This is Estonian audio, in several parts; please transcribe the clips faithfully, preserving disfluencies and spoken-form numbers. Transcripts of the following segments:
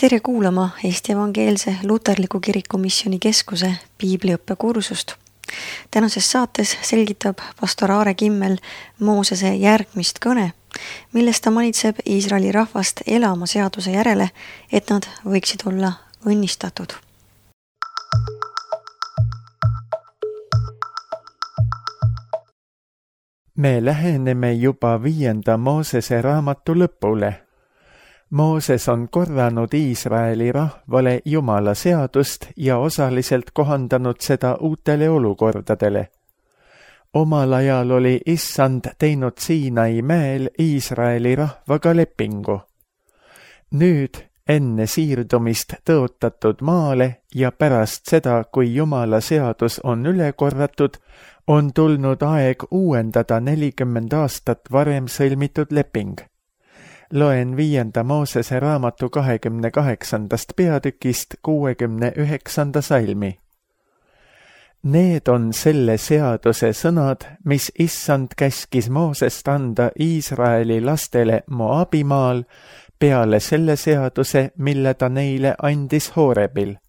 Tere kuulama Eesti Evangeelse Luterliku Kirikumisjoni Keskuse piibliõppekursust. Tänases saates selgitab pastor Aare Kimmel Moosese järgmist kõne, milles ta manitseb Iisraeli rahvast elama seaduse järele, et nad võiksid olla õnnistatud. Me läheneme juba viienda Moosese raamatu lõpule. Mooses on korranud Iisraeli rahvale Jumala seadust ja osaliselt kohandanud seda uutele olukordadele. Omal ajal oli Issand teinud Siinai mäel Iisraeli rahvaga lepingu. Nüüd, enne siirdumist tõotatud maale ja pärast seda, kui Jumala seadus on üle korratud, on tulnud aeg uuendada nelikümmend aastat varem sõlmitud leping. Loen viienda Moosese raamatu kahekümne kaheksandast peatükist kuuekümne üheksanda salmi. Need on selle seaduse sõnad, mis Issand käskis Moosest anda Iisraeli lastele Moabimaal peale selle seaduse, mille ta neile andis Hoorebil.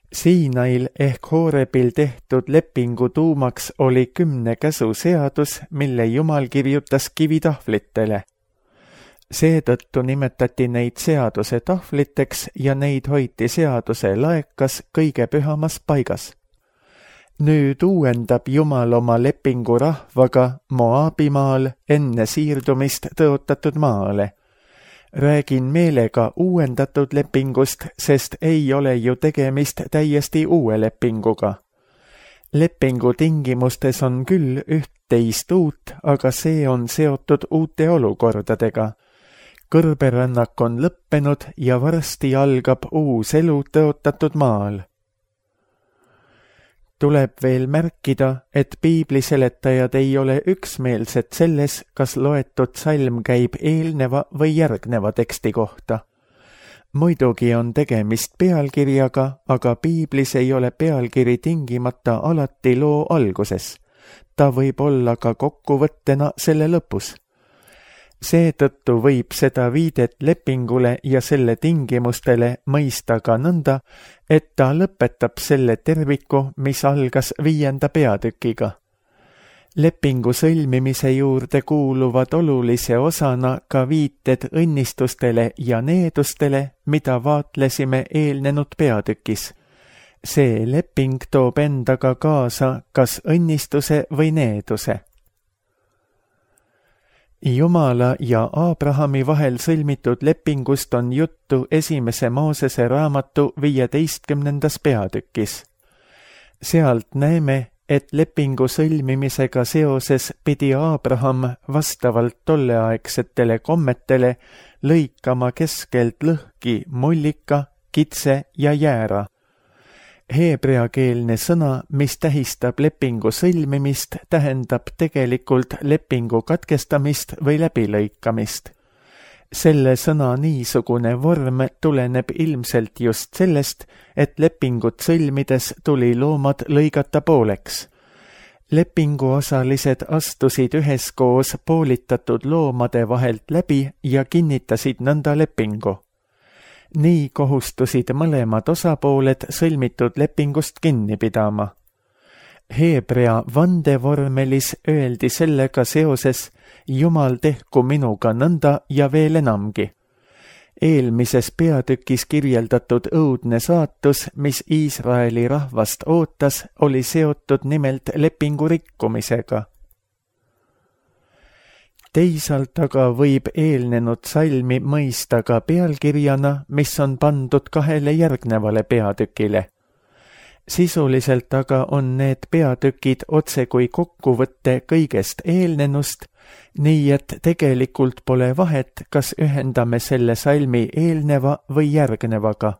Siinail ehk Hoorebil tehtud lepingu tuumaks oli kümne käsu seadus, mille Jumal kirjutas kivitahvlitele. Seetõttu nimetati neid seaduse tahvliteks ja neid hoiti seaduse laekas kõige pühamas paigas. Nüüd uuendab Jumal oma lepingu rahvaga Moabimaal enne siirdumist tõotatud maale. Räägin meelega uuendatud lepingust, sest ei ole ju tegemist täiesti uue lepinguga. Lepingu tingimustes on küll üht-teist uut, aga see on seotud uute olukordadega. Kõrberännak on lõppenud ja varsti algab uus elu tõotatud maal. Tuleb veel märkida, et piibliseletajad ei ole üksmeelsed selles, kas loetud salm käib eelneva või järgneva teksti kohta. Muidugi on tegemist pealkirjaga, aga piiblis ei ole pealkiri tingimata alati loo alguses. Ta võib olla ka kokkuvõttena selle lõpus. Seetõttu võib seda viidet lepingule ja selle tingimustele mõista ka nõnda, et ta lõpetab selle terviku, mis algas viienda peatükiga. Lepingu sõlmimise juurde kuuluvad olulise osana ka viited õnnistustele ja needustele, mida vaatlesime eelnenud peatükis. See leping toob endaga kaasa kas õnnistuse või needuse. Jumala ja Aabrahami vahel sõlmitud lepingust on juttu esimese Moosese raamatu viieteistkümnendas peatükis. Sealt näeme, et lepingu sõlmimisega seoses pidi Aabraham vastavalt tolleaegsetele kommetele lõikama keskelt lõhki mullika, kitse ja jäära. Heebreakeelne sõna, mis tähistab lepingu sõlmimist, tähendab tegelikult lepingu katkestamist või läbilõikamist. Selle sõna niisugune vorm tuleneb ilmselt just sellest, et lepingut sõlmides tuli loomad lõigata pooleks. Lepinguosalised astusid üheskoos poolitatud loomade vahelt läbi ja kinnitasid nõnda lepingu. Nii kohustusid mõlemad osapooled sõlmitud lepingust kinni pidama. Heebrea vandevormelis öeldi sellega seoses Jumal tehku minuga nõnda ja veel enamgi. Eelmises peatükis kirjeldatud õudne saatus, mis Iisraeli rahvast ootas, oli seotud nimelt lepingu rikkumisega. Teisalt aga võib eelnenud salmi mõista ka pealkirjana, mis on pandud kahele järgnevale peatükile. Sisuliselt aga on need peatükid otse kui kokkuvõtte kõigest eelnenust, nii et tegelikult pole vahet, kas ühendame selle salmi eelneva või järgnevaga.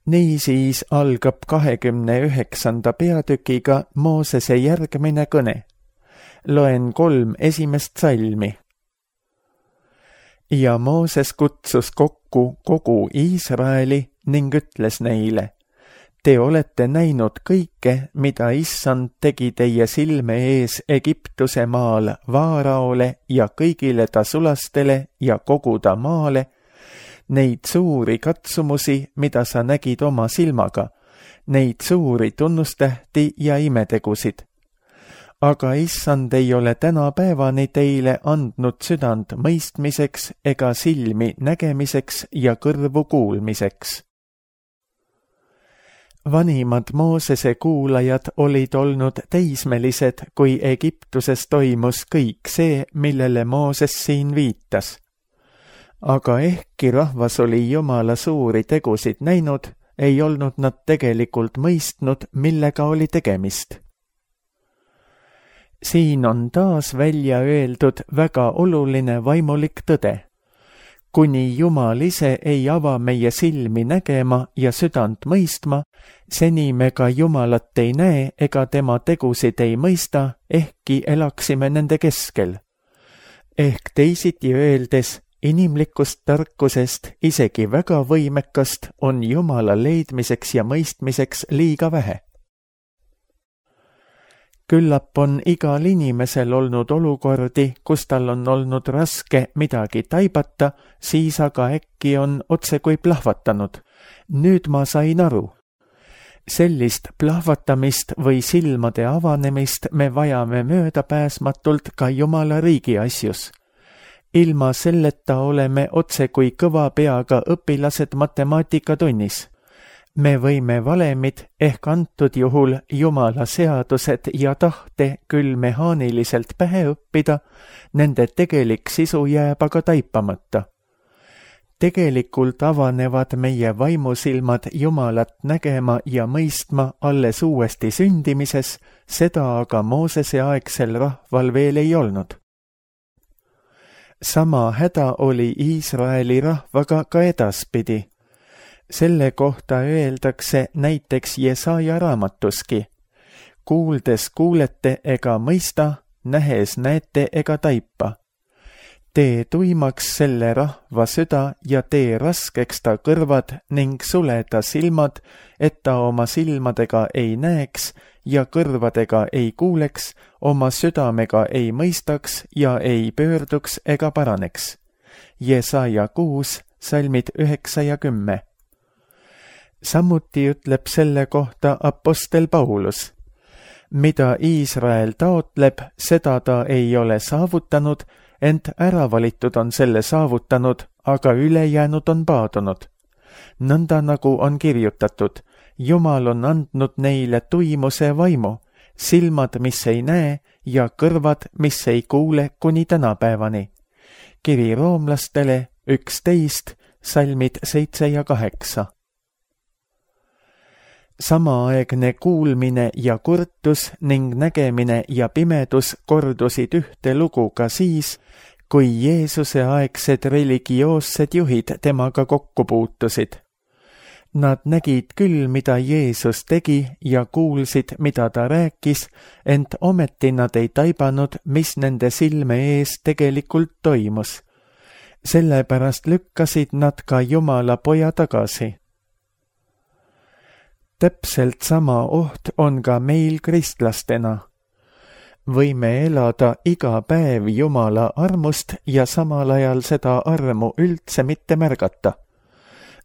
Niisiis algab kahekümne üheksanda peatükiga Moosese järgmine kõne. Loen kolm esimest salmi. Ja Mooses kutsus kokku kogu Iisraeli ning ütles neile: Te olete näinud kõike, mida Issand tegi teie silme ees Egiptuse maal Vaaraole ja kõigile ta sulastele ja kogu ta maale, neid suuri katsumusi, mida sa nägid oma silmaga, neid suuri tunnustähti ja imetegusid. Aga Issand ei ole tänapäevani teile andnud südant mõistmiseks ega silmi nägemiseks ja kõrvu kuulmiseks. Vanimad Moosese kuulajad olid olnud teismelised, kui Egiptuses toimus kõik see, millele Mooses siin viitas. Aga ehkki rahvas oli Jumala suuri tegusid näinud, ei olnud nad tegelikult mõistnud, millega oli tegemist. Siin on taas välja öeldud väga oluline vaimulik tõde. Kuni Jumal ise ei ava meie silmi nägema ja südant mõistma, seni me ka Jumalat ei näe ega tema tegusid ei mõista, ehkki elaksime nende keskel. Ehk teisiti öeldes, inimlikust tarkusest, isegi väga võimekast, on Jumala leidmiseks ja mõistmiseks liiga vähe. Küllap on igal inimesel olnud olukordi, kus tal on olnud raske midagi taibata, siis aga äkki on otsekui plahvatanud. Nüüd ma sain aru. Sellist plahvatamist või silmade avanemist me vajame möödapääsmatult ka Jumala riigi asjus. Ilma selleta oleme otsekui kõva peaga õpilased matemaatikatunnis. Me võime valemid ehk antud juhul Jumala seadused ja tahte küll mehaaniliselt pähe õppida, nende tegelik sisu jääb aga taipamata. Tegelikult avanevad meie vaimusilmad Jumalat nägema ja mõistma alles uuesti sündimises, seda aga Moosese aegsel rahval veel ei olnud. Sama häda oli Iisraeli rahvaga ka edaspidi. Selle kohta öeldakse näiteks Jesaja raamatuski. Kuuldes kuulete ega mõista, nähes näete ega taipa. Tee tuimaks selle rahva süda ja tee raskeks ta kõrvad ning sule ta silmad, et ta oma silmadega ei näeks ja kõrvadega ei kuuleks, oma südamega ei mõistaks ja ei pöörduks ega paraneks. Jesaja kuus, salmid üheksa ja kümme. Samuti ütleb selle kohta apostel Paulus. Mida Iisrael taotleb, seda ta ei ole saavutanud, ent äravalitud on selle saavutanud, aga ülejäänud on paadunud. Nõnda nagu on kirjutatud, Jumal on andnud neile tuimuse vaimu, silmad, mis ei näe ja kõrvad, mis ei kuule kuni tänapäevani. Kiri roomlastele üksteist, salmid seitse ja kaheksa. Samaaegne kuulmine ja kurtus ning nägemine ja pimedus kordusid ühte lugu ka siis, kui Jeesuse aegsed religioossed juhid temaga kokku puutusid. Nad nägid küll, mida Jeesus tegi ja kuulsid, mida ta rääkis, ent ometi nad ei taibanud, mis nende silme ees tegelikult toimus. Sellepärast lükkasid nad ka Jumala poja tagasi. Täpselt sama oht on ka meil kristlastena. Võime elada iga päev Jumala armust ja samal ajal seda armu üldse mitte märgata.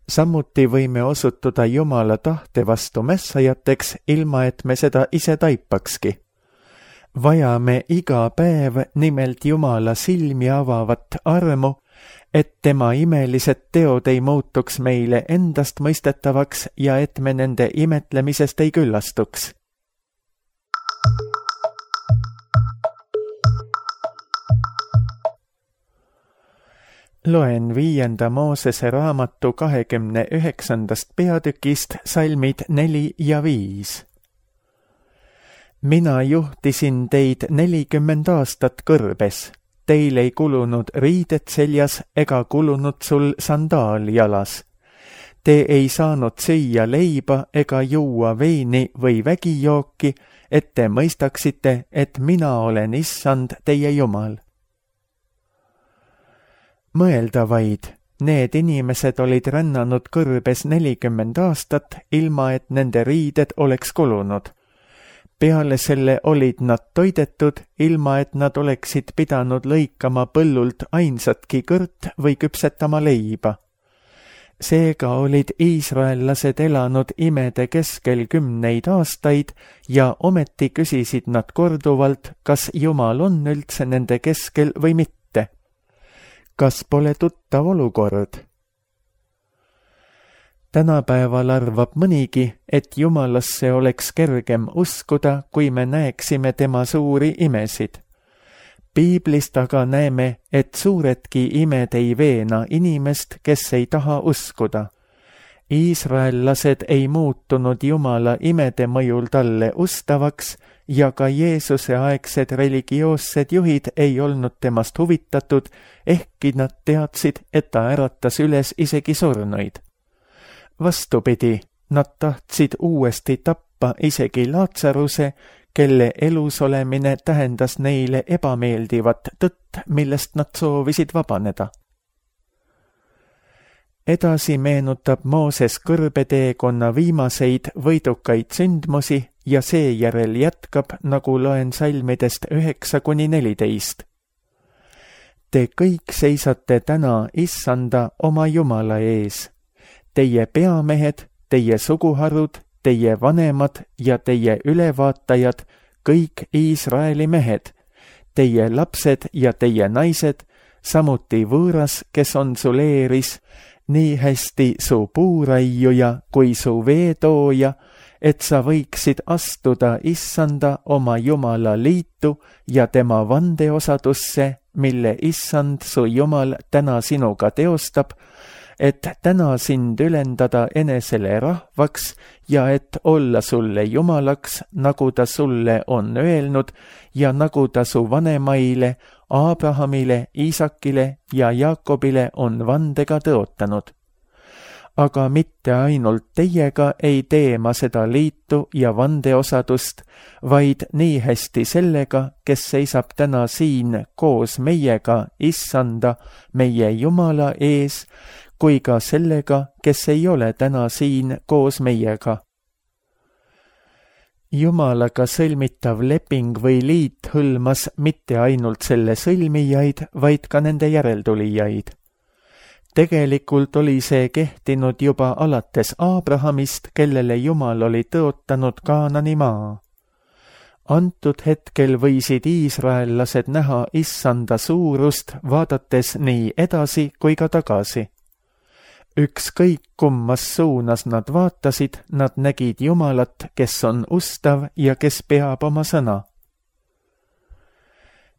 Samuti võime osutuda Jumala tahte vastu mässajateks, ilma et me seda ise taipakski. Vajame iga päev nimelt Jumala silmi avavat armu, et tema imelised teod ei muutuks meile endast mõistetavaks ja et me nende imetlemisest ei küllastuks. Loen viienda Moosese raamatu kahekümne üheksandast peatükist salmid neli ja viis. Mina juhtisin teid nelikümmend aastat kõrbes. Teil ei kulunud riided seljas ega kulunud sul sandaal jalas. Te ei saanud süüa leiba ega juua veini või vägijooki, et te mõistaksite, et mina olen Issand teie Jumal. Mõelda vaid, Need inimesed olid rännanud kõrbes nelikümmend aastat, ilma et nende riided oleks kulunud. Peale selle olid nad toidetud, ilma et nad oleksid pidanud lõikama põllult ainsatki kõrt või küpsetama leiba. Seega olid iisraellased elanud imede keskel kümneid aastaid ja ometi küsisid nad korduvalt, kas Jumal on üldse nende keskel või mitte. Kas pole tuttav olukord? Tänapäeval arvab mõnigi, et Jumalasse oleks kergem uskuda, kui me näeksime tema suuri imesid. Piiblist aga näeme, et suuredki imed ei veena inimest, kes ei taha uskuda. Iisraellased ei muutunud Jumala imede mõjul talle ustavaks ja ka Jeesuse aegsed religioossed juhid ei olnud temast huvitatud, ehkki nad teadsid, et ta äratas üles isegi surnuid. Vastupidi, nad tahtsid uuesti tappa isegi Laatsaruse, kelle elus olemine tähendas neile ebameeldivat tõtt, millest nad soovisid vabaneda. Edasi meenutab Mooses kõrbeteekonna viimaseid võidukaid sündmusi ja seejärel jätkab, nagu loen salmidest üheksa kuni neliteist. Te kõik seisate täna Issanda oma Jumala ees. Teie peamehed, teie suguharud, teie vanemad ja teie ülevaatajad, kõik Iisraeli mehed, teie lapsed ja teie naised, samuti võõras, kes on sul eeris, nii hästi su puuraiuja kui su veetooja, et sa võiksid astuda Issanda oma Jumala liitu ja tema vandeosadusse, mille Issand su Jumal täna sinuga teostab, et täna sind ülendada enesele rahvaks ja et olla sulle Jumalaks, nagu ta sulle on öelnud ja nagu ta su vanemaile, Abrahamile, Iisakile ja Jaakobile on vandega tõotanud. Aga mitte ainult teiega ei tee ma seda liitu ja vandeosadust, vaid nii hästi sellega, kes seisab täna siin koos meiega Issanda, meie Jumala ees, kui ka sellega, kes ei ole täna siin koos meiega. Jumalaga sõlmitav leping või liit hõlmas mitte ainult selle sõlmijaid, vaid ka nende järeltulijaid. Tegelikult oli see kehtinud juba alates Abrahamist, kellele Jumal oli tõotanud Kaanani maa. Antud hetkel võisid iisraellased näha Issanda suurust, vaadates nii edasi kui ka tagasi. Ükskõik kummas suunas nad vaatasid, nad nägid Jumalat, kes on ustav ja kes peab oma sõna.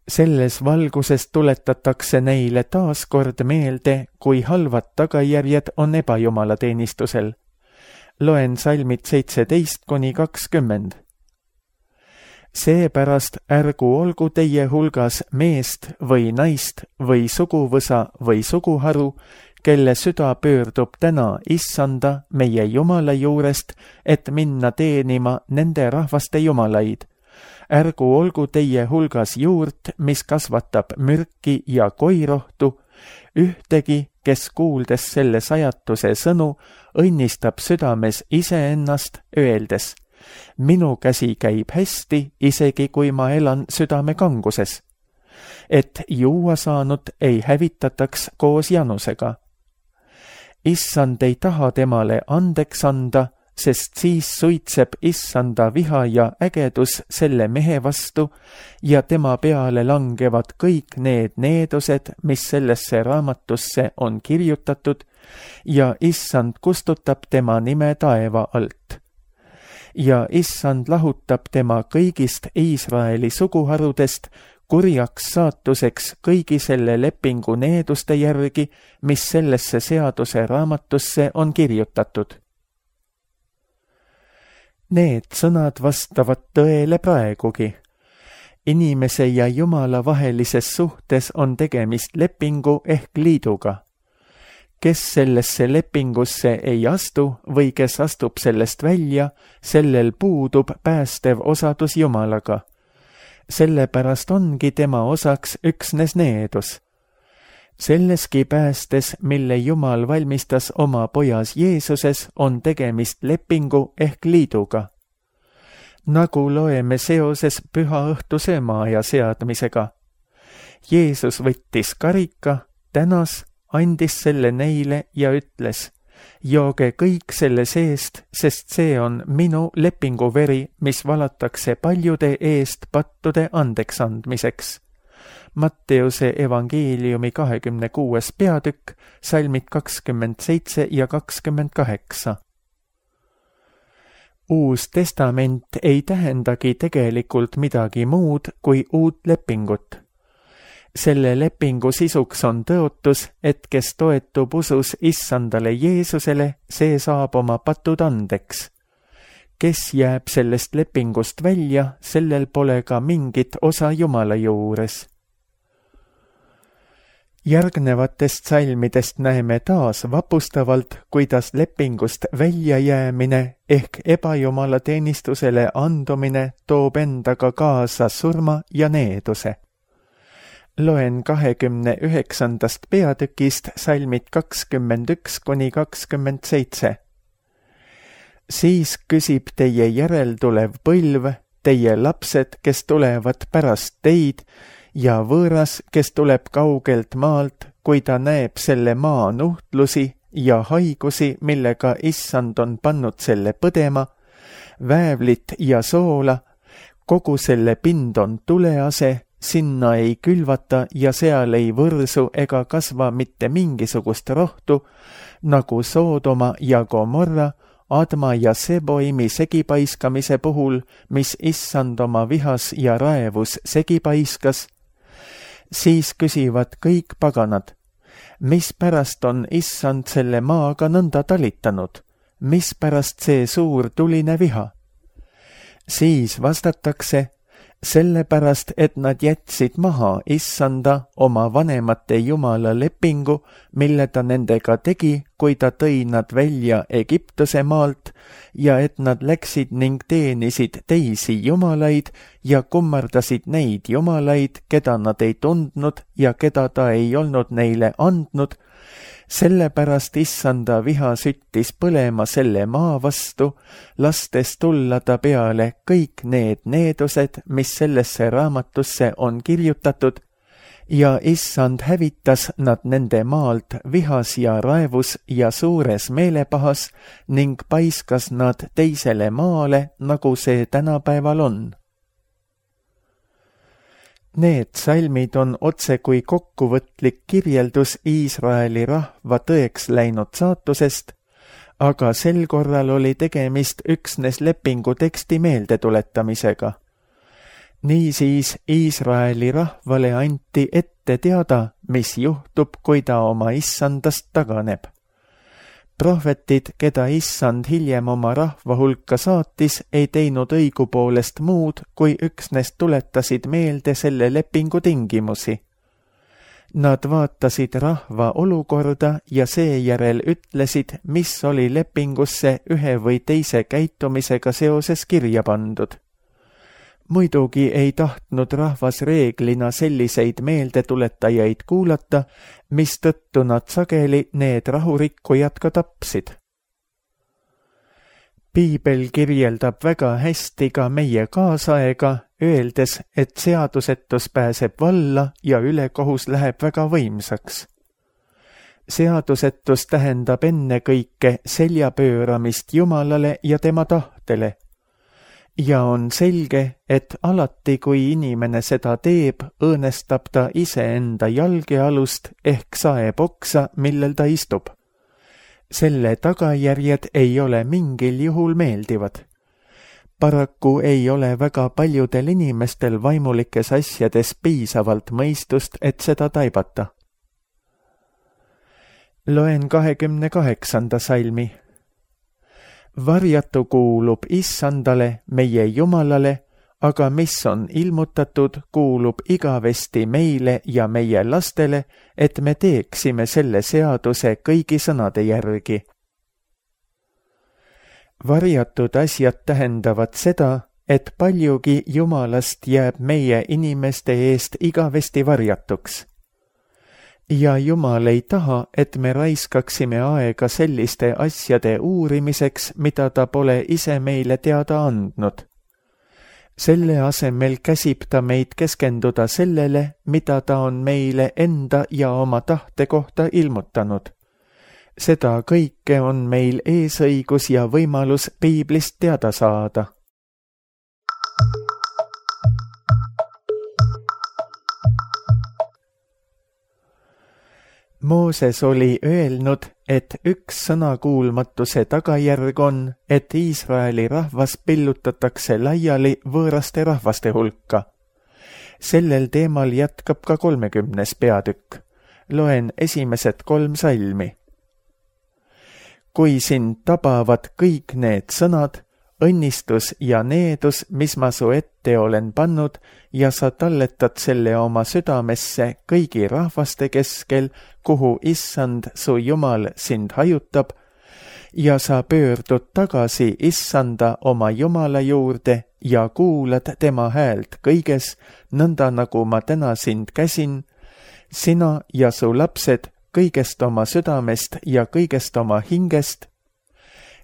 Selles valguses tuletatakse neile taas kord meelde, kui halvad tagajärjed on ebajumalateenistusel. Loen salmid seitseteist kuni kakskümmend. Seepärast ärgu olgu teie hulgas meest või naist või suguvõsa või suguharu, kelle süda pöördub täna Issanda, meie Jumala juurest, et minna teenima nende rahvaste jumalaid. Ärgu olgu teie hulgas juurt, mis kasvatab mürki ja koirohtu, ühtegi, kes kuuldes selle sajatuse sõnu, õnnistab südames iseennast, öeldes, minu käsi käib hästi, isegi kui ma elan südame kanguses, et juua saanud ei hävitataks koos janusega. Issand ei taha temale andeks anda, sest siis suitseb Issanda viha ja ägedus selle mehe vastu ja tema peale langevad kõik need needused, mis sellesse raamatusse on kirjutatud, ja Issand kustutab tema nime taeva alt. Ja Issand lahutab tema kõigist Iisraeli suguharudest, kurjaks saatuseks kõigi selle lepingu needuste järgi, mis sellesse seaduse raamatusse on kirjutatud. Need sõnad vastavad tõele praegugi. Inimese ja Jumala vahelises suhtes on tegemist lepingu ehk liiduga. Kes sellesse lepingusse ei astu või kes astub sellest välja, sellel puudub päästev osadus Jumalaga. Sellepärast ongi tema osaks üksnes needus. Selleski päästes, mille Jumal valmistas oma pojas Jeesuses, on tegemist lepingu ehk liiduga. Nagu loeme seoses püha õhtu söömaaja seadmisega. Jeesus võttis karika, tänas, andis selle neile ja ütles: jooge kõik selle seest, sest see on minu lepinguveri, mis valatakse paljude eest pattude andeks andmiseks. Matteuse evangeeliumi kahekümne kuues peatükk, salmid kakskümmend seitse ja kakskümmend kaheksa. Uus testament ei tähendagi tegelikult midagi muud kui uut lepingut. Selle lepingu sisuks on tõotus, et kes toetub usus issandale Jeesusele, see saab oma patud andeks. Kes jääb sellest lepingust välja, sellel pole ka mingit osa Jumala juures. Järgnevatest salmidest näeme taas vapustavalt, kuidas lepingust väljajäämine ehk ebajumala teenistusele andumine toob endaga kaasa surma ja needuse. Loen kahekümne üheksandast peatükist salmid kakskümmend üks kuni kakskümmend seitse. Siis küsib teie järeltulev põlv, teie lapsed, kes tulevad pärast teid, ja võõras, kes tuleb kaugelt maalt, kui ta näeb selle maa nuhtlusi ja haigusi, millega issand on pannud selle põdema, väävlit ja soola, kogu selle pind on tulease, sinna ei külvata ja seal ei võrsu ega kasva mitte mingisugust rohtu, nagu Soodoma ja Gomorra, Adma ja Seboimi segipaiskamise puhul, mis issand oma vihas ja raevus segipaiskas. Siis küsivad kõik paganad: mispärast on issand selle maaga nõnda talitanud? Mispärast see suur tuline viha? Siis vastatakse: sellepärast, et nad jätsid maha issanda oma vanemate Jumala lepingu, mille ta nendega tegi, kui ta tõi nad välja Egiptuse maalt, ja et nad läksid ning teenisid teisi jumalaid ja kummardasid neid jumalaid, keda nad ei tundnud ja keda ta ei olnud neile andnud. Sellepärast issanda viha süttis põlema selle maa vastu, lastes tulla ta peale kõik need needused, mis sellesse raamatusse on kirjutatud, ja issand hävitas nad nende maalt vihas ja raevus ja suures meelepahas ning paiskas nad teisele maale, nagu see tänapäeval on. Need salmid on otse kui kokkuvõtlik kirjeldus Iisraeli rahva tõeks läinud saatusest, aga sel korral oli tegemist üksnes lepingu teksti meeldetuletamisega. Niisiis Iisraeli rahvale anti ette teada, mis juhtub, kui ta oma issandast taganeb. Prohvetid, keda issand hiljem oma rahva hulka saatis, ei teinud õigupoolest muud, kui üksnes tuletasid meelde selle lepingu tingimusi. Nad vaatasid rahva olukorda ja seejärel ütlesid, mis oli lepingusse ühe või teise käitumisega seoses kirja pandud. Muidugi ei tahtnud rahvas reeglina selliseid meeldetuletajaid kuulata, mistõttu nad sageli need rahurikkujad ka tapsid. Piibel kirjeldab väga hästi ka meie kaasaega, öeldes, et seadusetus pääseb valla ja ülekohus läheb väga võimsaks. Seadusetus tähendab ennekõike seljapööramist Jumalale ja tema tahtele. Ja on selge, et alati, kui inimene seda teeb, õõnestab ta iseenda jalgealust ehk saeb oksa, millel ta istub. Selle tagajärjed ei ole mingil juhul meeldivad. Paraku ei ole väga paljudel inimestel vaimulikes asjades piisavalt mõistust, et seda taibata. Loen kahekümne kaheksanda salmi. Varjatu kuulub issandale, meie Jumalale, aga mis on ilmutatud, kuulub igavesti meile ja meie lastele, et me teeksime selle seaduse kõigi sõnade järgi. Varjatud asjad tähendavad seda, et paljugi Jumalast jääb meie inimeste eest igavesti varjatuks. Ja Jumal ei taha, et me raiskaksime aega selliste asjade uurimiseks, mida ta pole ise meile teada andnud. Selle asemel käsib ta meid keskenduda sellele, mida ta on meile enda ja oma tahte kohta ilmutanud. Seda kõike on meil eesõigus ja võimalus piiblist teada saada. Mooses oli öelnud, et üks sõnakuulmatuse tagajärg on, et Iisraeli rahvas pillutatakse laiali võõraste rahvaste hulka. Sellel teemal jätkab ka kolmekümnes peatükk. Loen esimesed kolm salmi. Kui sind tabavad kõik need sõnad, õnnistus ja needus, mis ma su ette olen pannud, ja sa talletad selle oma südamesse kõigi rahvaste keskel, kuhu Issand su Jumal sind hajutab, ja sa pöördud tagasi Issanda oma Jumala juurde ja kuulad tema häält kõiges, nõnda nagu ma täna sind käsin, sina ja su lapsed kõigest oma südamest ja kõigest oma hingest,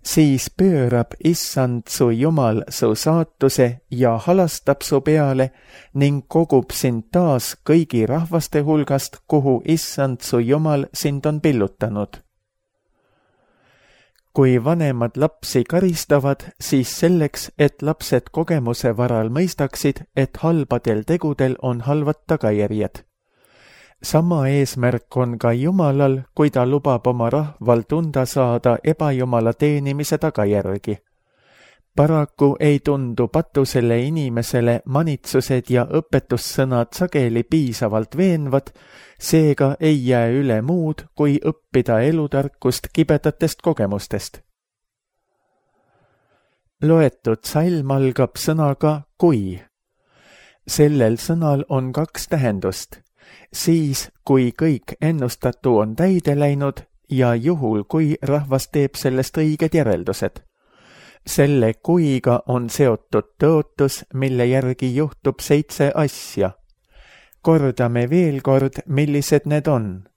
siis pöörab Issand su Jumal su saatuse ja halastab su peale ning kogub sind taas kõigi rahvaste hulgast, kuhu Issand su Jumal sind on pillutanud. Kui vanemad lapsi karistavad, siis selleks, et lapsed kogemuse varal mõistaksid, et halbadel tegudel on halvad tagajärjed. Sama eesmärk on ka Jumalal, kui ta lubab oma rahval tunda saada ebajumala teenimise tagajärgi. Paraku ei tundu patusele inimesele manitsused ja õpetussõnad sageli piisavalt veenvad, seega ei jää üle muud, kui õppida elutarkust kibedatest kogemustest. Loetud salm algab sõnaga kui. Sellel sõnal on kaks tähendust. Siis, kui kõik ennustatu on täide läinud ja juhul, kui rahvas teeb sellest õiged järeldused. Selle kuiga on seotud tõotus, mille järgi juhtub seitse asja. Kordame veel kord, millised need on.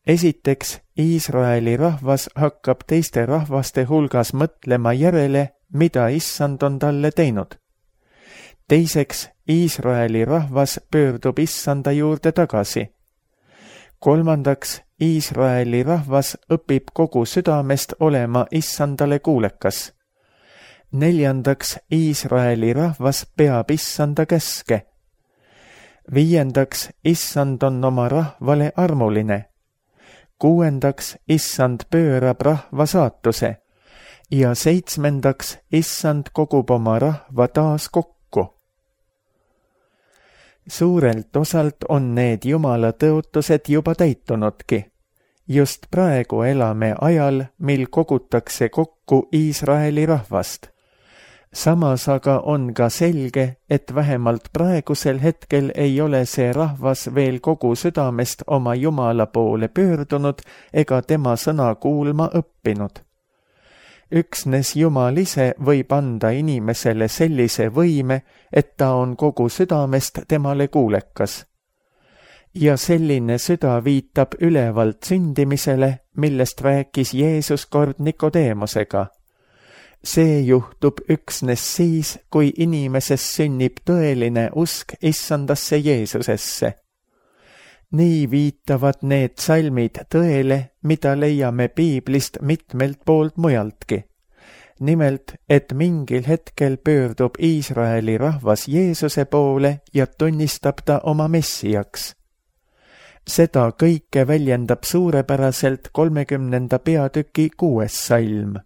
Esiteks, Iisraeli rahvas hakkab teiste rahvaste hulgas mõtlema järele, mida Issand on talle teinud. Teiseks, Iisraeli rahvas pöördub Issanda juurde tagasi. Kolmandaks, Iisraeli rahvas õpib kogu südamest olema Issandale kuulekas. Neljandaks, Iisraeli rahvas peab Issanda käske. Viiendaks, Issand on oma rahvale armuline. Kuuendaks, Issand pöörab rahva saatuse. Ja seitsmendaks, Issand kogub oma rahva taas kokku. Suurelt osalt on need Jumala tõotused juba täitunudki. Just praegu elame ajal, mil kogutakse kokku Iisraeli rahvast. Samas aga on ka selge, et vähemalt praegusel hetkel ei ole see rahvas veel kogu südamest oma Jumala poole pöördunud ega tema sõna kuulma õppinud. Üksnes Jumal ise võib anda inimesele sellise võime, et ta on kogu südamest temale kuulekas. Ja selline süda viitab ülevalt sündimisele, millest rääkis Jeesus kord Nikodeemusega. See juhtub üksnes siis, kui inimeses sünnib tõeline usk Issandasse Jeesusesse. Nii viitavad need salmid tõele, mida leiame piiblist mitmelt poolt mujaltki. Nimelt, et mingil hetkel pöördub Iisraeli rahvas Jeesuse poole ja tunnistab ta oma messiaks. Seda kõike väljendab suurepäraselt kolmekümnenda peatüki kuues salm.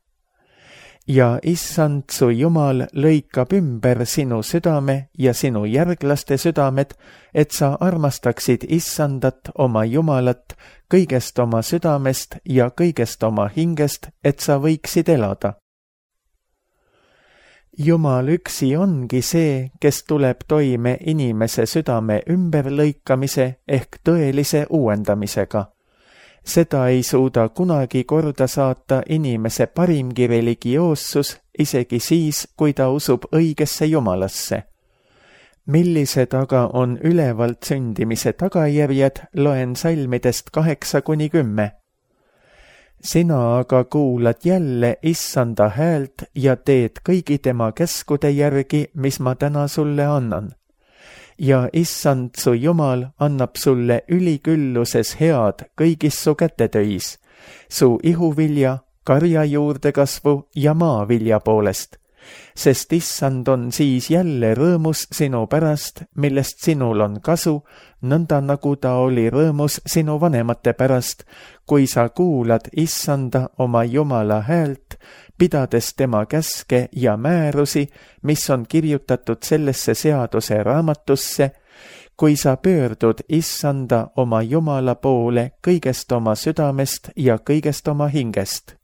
Ja Issand su Jumal lõikab ümber sinu südame ja sinu järglaste südamed, et sa armastaksid Issandat oma Jumalat kõigest oma südamest ja kõigest oma hingest, et sa võiksid elada. Jumal üksi ongi see, kes tuleb toime inimese südame ümberlõikamise ehk tõelise uuendamisega. Seda ei suuda kunagi korda saata inimese parimgi religioossus, isegi siis, kui ta usub õigesse Jumalasse. millised aga on ülevalt sündimise tagajärjed, loen salmidest kaheksa kuni kümme. Sina aga kuulad jälle issanda häält ja teed kõigi tema käskude järgi, mis ma täna sulle annan. Ja issand su Jumal annab sulle ülikülluses head kõigis su kätetöis, su ihuvilja, karja juurdekasvu ja maavilja poolest, sest issand on siis jälle rõõmus sinu pärast, millest sinul on kasu, nõnda nagu ta oli rõõmus sinu vanemate pärast, kui sa kuulad issanda oma Jumala häält, pidades tema käske ja määrusi, mis on kirjutatud sellesse seaduse raamatusse, kui sa pöördud issanda oma Jumala poole kõigest oma südamest ja kõigest oma hingest.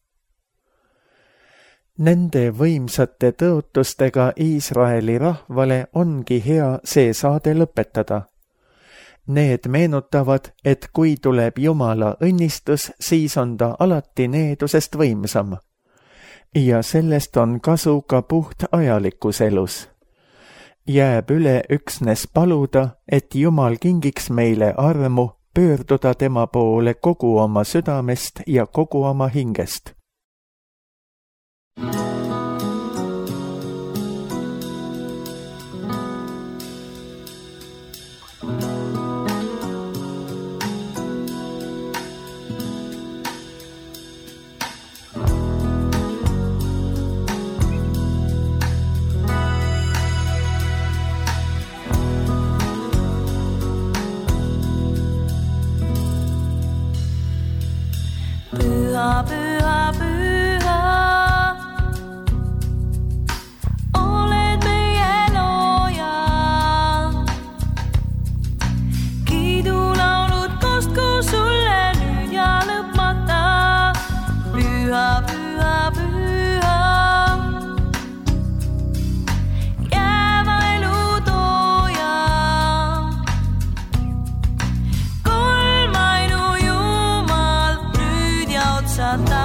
Nende võimsate tõotustega Iisraeli rahvale ongi hea see saade lõpetada. Need meenutavad, et kui tuleb Jumala õnnistus, siis on ta alati needusest võimsam. Ja sellest on kasu ka puht ajalikus elus. Jääb üle üksnes paluda, et Jumal kingiks meile armu pöörduda tema poole kogu oma südamest ja kogu oma hingest. Püha, püha, püha, oled meie looja. Kiidulaulud kostku sulle nüüd ja lõpmata. Püha, püha, püha, jääva elu tooja. Kolmainu Jumal nüüd ja otsata.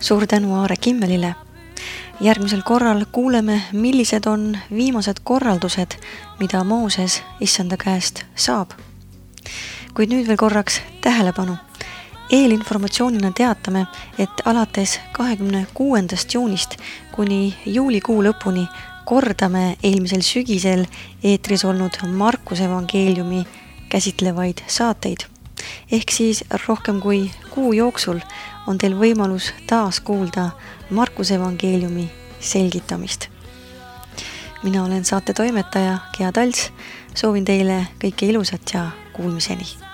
Suur tänu Aare Kimmelile. Järgmisel korral kuuleme, millised on viimased korraldused, mida Mooses issanda käest saab. Kuid nüüd veel korraks tähelepanu. Eelinformatsioonina teatame, et alates kahekümne kuuendast juunist kuni juulikuu lõpuni kordame eelmisel sügisel eetris olnud Markuse evangeeliumi käsitlevaid saateid. Ehk siis rohkem kui kuu jooksul on teil võimalus taas kuulda Markuse evangeeliumi selgitamist. Mina olen saate toimetaja Gea Talts, soovin teile kõike ilusat ja kuulmiseni.